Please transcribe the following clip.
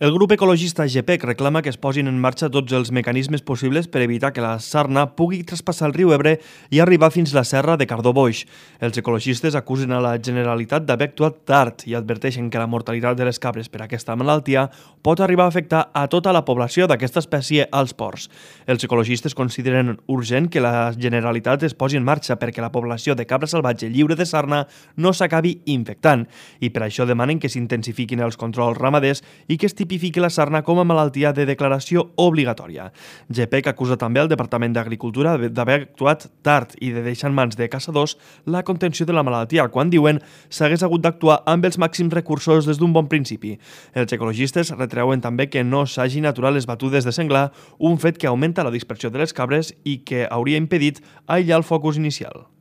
El grup ecologista GPEC reclama que es posin en marxa tots els mecanismes possibles per evitar que la sarna pugui traspassar el riu Ebre i arribar fins a la serra de Cardó-Boix. Els ecologistes acusen a la Generalitat d'haver actuat tard i adverteixen que la mortalitat de les cabres per aquesta malaltia pot arribar a afectar a tota la població d'aquesta espècie als ports. Els ecologistes consideren urgent que la Generalitat es posi en marxa perquè la població de cabra salvatge lliure de sarna no s'acabi infectant i per això demanen que s'intensifiquin els controls ramaders i que es tipifiqui la sarna com a malaltia de declaració obligatòria. GPEC acusa també el Departament d'Agricultura d'haver actuat tard i de deixar en mans de caçadors la contenció de la malaltia, quan diuen s'hagués hagut d'actuar amb els màxims recursos des d'un bon principi. Els ecologistes retreuen també que no s'hagin aturat les batudes de senglar, un fet que augmenta la dispersió de les cabres i que hauria impedit aïllar el focus inicial.